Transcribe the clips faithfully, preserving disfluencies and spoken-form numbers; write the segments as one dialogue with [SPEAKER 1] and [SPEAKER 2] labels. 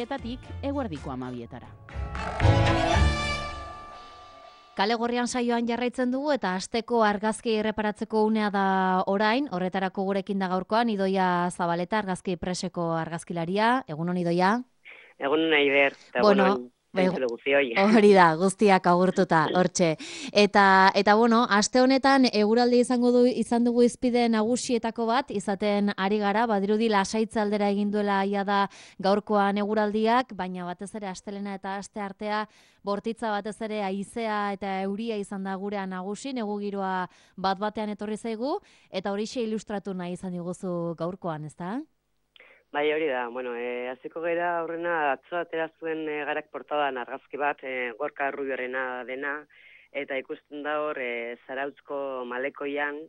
[SPEAKER 1] etatik eguerdiko hamabietara. Kale Gorrian saioan jarraitzen dugu eta asteko argazki erreparatzeko unea da orain, horretarako gurekin da gaurkoan Idoia Zabaleta, argazki preseko argazkilaria. Egunon Idoia?
[SPEAKER 2] Egunon Aider, eta
[SPEAKER 1] bueno,
[SPEAKER 2] entzule guztioi.
[SPEAKER 1] Hori da, guztiak agurtuta, hortxe. Eta, eta bueno, aste honetan eguraldi izango du, izan dugu izpide nagusietako bat, izaten ari gara, badirudi lasaitza aldera egin duela ia da gaurkoan eguraldiak, baina batez ere astelena eta aste artea bortitza batez ere haizea eta euria izan da gurean nagusi, negu giroa bat batean etorri zaigu, eta horixe ilustratu nahi izan diguzu gaurkoan, ezta?
[SPEAKER 2] Bai, hori da, bueno, e, aziko gera horrena atzo atera zuen e, garak portadan argazki bat, e, Gorka Rubioarena dena, eta ikusten da hor e, Zarautzko malekoian,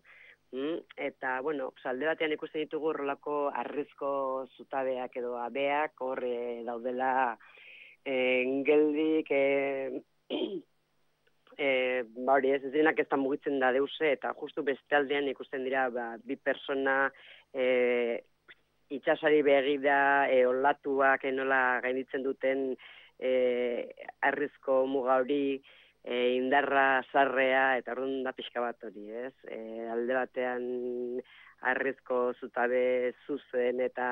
[SPEAKER 2] mm, eta, bueno, alde batean ikusten ditugu horrelako arrizko zutabeak edo abeak, hor e, daudela e, geldik, e, e, ba hori ez, ez denak ez da mugitzen da deuse, eta justu beste aldean ikusten dira ba, bi persona, e, itxasari begida, e, olatuak enola gainditzen duten e, arrizko muga hori, e, indarra sarrea, eta orduan da pixka bat hori, ez? E, alde batean arrizko zutabe zuzen eta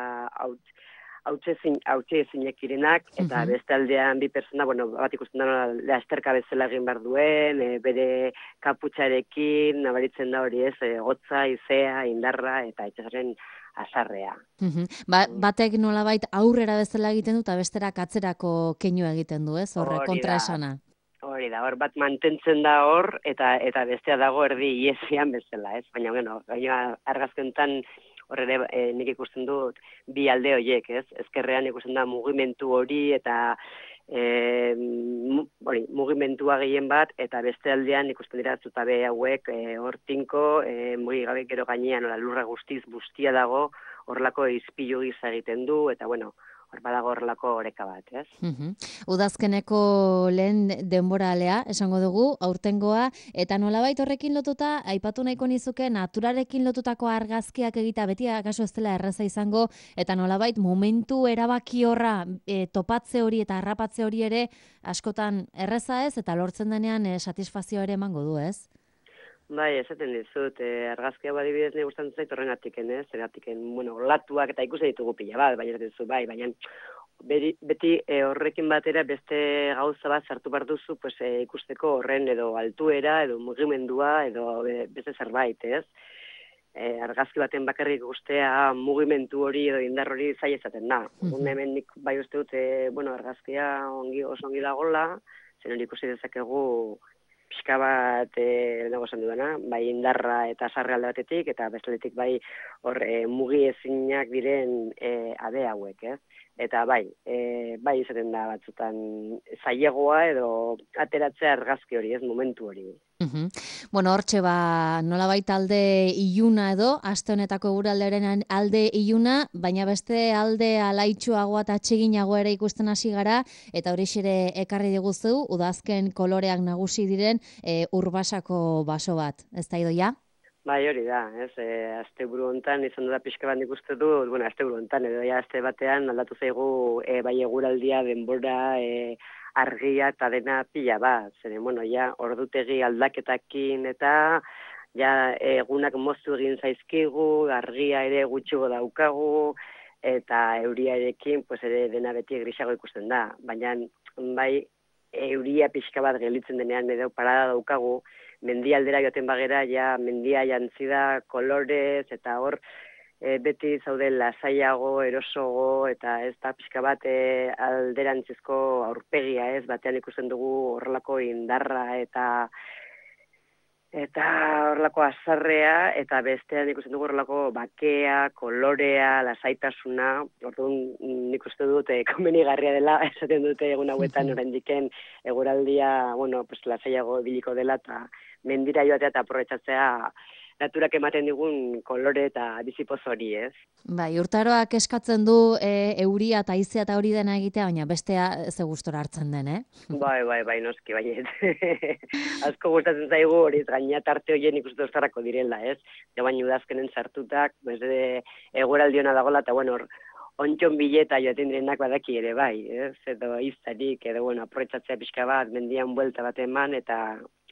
[SPEAKER 2] hautxe ezinek irenak, eta
[SPEAKER 1] Mhm.
[SPEAKER 2] beste aldean bi persona, bueno, bat ikusten da lasterka bezala egin behar duen, e, bere kaputxarekin, nabaritzen da hori ez, e, gotza, izea, indarra, eta itxasaren azarrea.
[SPEAKER 1] Mhm. Ba, batek nolabait aurrera bezala egiten du eta besterak atzerako keinu egiten du, ez? Horre kontraesana.
[SPEAKER 2] Hori da, hor bat mantentzen da hor, eta eta bestea dago erdi iesian bezala, ez? Baina, bueno, baina argazkentan horre e, nik ikusten dut bi alde horiek, ez? Ezkerrean ikusten da mugimentu hori eta e, hori, mugimendua gehien bat, eta beste aldean ikusten dira zutabe hauek e, hor tinko, e, mugigabe gero gainean, ola, lurra guztiz bustia dago, horrelako izpilu giza egiten du, eta bueno, hor badago horrelako oreka bat, ez?
[SPEAKER 1] Mhm. Udazkeneko lehen denboralea, esango dugu, aurtengoa, eta nolabait horrekin lotuta, aipatu nahiko nizuke, naturarekin lotutako argazkiak egita, beti akaso ez dela erraza izango, eta nolabait momentu erabaki horra e, topatze hori eta harrapatze hori ere, askotan erraza ez, eta lortzen denean e, satisfazio ere emango du, ez?
[SPEAKER 2] Bai, esaten dizut, eh, argazkia badibidez nahi gustatzen zait horrenatiken, ez? Zergatiken, bueno, olatuak eta ikusten ditugu pila bat, baina ez bai, baina beti, beti e, horrekin batera beste gauza bat sartu behar duzu, pues, e, ikusteko horren edo altuera, edo mugimendua, edo e, beste zerbait, ez? E, argazki baten bakarrik guztea mugimendu hori edo indar hori zaila izaten da. Mm-hmm. Hemen nik bai uste dut, e, bueno, argazkia ongi, oso ongi dagoela, zen hori ikusi dezakegu pixka bat, e, lehenago esan dudana, bai indarra eta sarre alde batetik, eta bestaletik bai hor e, mugi ezinak diren e, abe hauek, ez? Eta bai, e, bai izaten da batzutan zailegoa edo ateratzea argazki hori, ez momentu hori.
[SPEAKER 1] Uhum. Bueno, hortxe ba, nolabait alde iluna edo, aste honetako eguraldearen alde iluna, baina beste alde alaitxuagoa eta atseginagoa ere ikusten hasi gara, eta hori ere ekarri diguzu, udazken koloreak nagusi diren e, urbasako baso bat, ez da Idoia?
[SPEAKER 2] Bai, hori da, ez, e, azte buru hontan izan da pixka bat ikuste du, bueno, azte buru hontan, edo ja azte batean aldatu zaigu e, bai eguraldia, denbora, e, argia eta dena pila bat, zeren, bueno, ja, ordutegi aldaketakin eta ja egunak moztu egin zaizkigu, argia ere gutxigo daukagu, eta euriarekin, pues ere dena beti grisago ikusten da, baina bai euria pixka bat gelitzen denean edo parada daukagu, mendialdera joaten bagera, ja mendia jantzi da kolorez, eta hor e, beti zaude lasaiago, erosogo, eta ez da pixka bat e, alderantzizko aurpegia, ez, batean ikusten dugu horrelako indarra eta eta horrelako azarrea, eta bestean ikusten dugu horrelako bakea, kolorea, lasaitasuna, orduan nik uste dut e, komenigarria dela, esaten dute egun hauetan oraindiken eguraldia, bueno, pues lasaiago biliko dela, eta mendira joatea eta aprobetxatzea naturak ematen digun kolore eta bizipoz hori, ez?
[SPEAKER 1] Bai, urtaroak eskatzen du e, euria eta haizea eta hori dena egitea, baina bestea ze gustora hartzen den, eh?
[SPEAKER 2] Bai, bai, bai, noski, baiet. Asko gustatzen zaigu hori, gaina tarte horien ikustu ostarako direla, ez? Ja, baina udazkenen sartutak, bez de eguraldiona dagoela, eta bueno, ontxon bileta joaten direnak badaki ere bai, ez? Edo izanik, edo bueno, aprobetxatzea pixka bat, mendian buelta bat eman, eta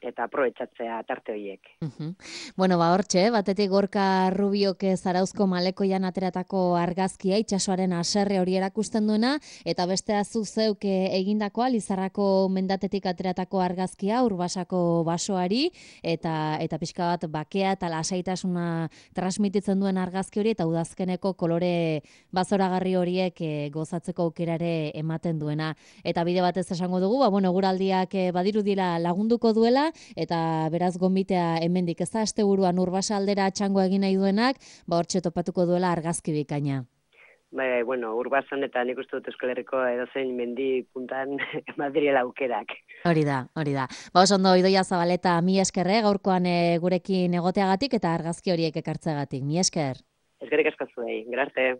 [SPEAKER 2] eta aprobetxatzea tarte horiek.
[SPEAKER 1] Uh-huh. Bueno, ba, hortxe, batetik Gorka Rubiok Zarauzko Malekoian ateratako argazkia, itsasoaren haserre hori erakusten duena, eta bestea zu zeuk egindakoa, Lizarrako mendatetik ateratako argazkia, Urbasako basoari, eta eta pixka bat bakea eta lasaitasuna transmititzen duen argazki hori, eta udazkeneko kolore bazoragarri horiek e, gozatzeko aukerare ematen duena. Eta bide batez esango dugu, ba, bueno, guraldiak e, badirudila lagunduko duela, eta beraz gonbitea hemendik ez da asteburuan Urbasa aldera txango egin nahi duenak, ba hortxe topatuko duela argazki bikaina.
[SPEAKER 2] Bai, bueno, Urbasan eta nik uste dut Euskal Herriko edozein mendi puntan Madriela aukerak.
[SPEAKER 1] Hori da, hori da. Ba oso ondo Idoia Zabaleta, mi eskerre gaurkoan e, gurekin egoteagatik eta argazki horiek ekartzeagatik. Mi esker.
[SPEAKER 2] Eskerrik asko zuei. Grarte.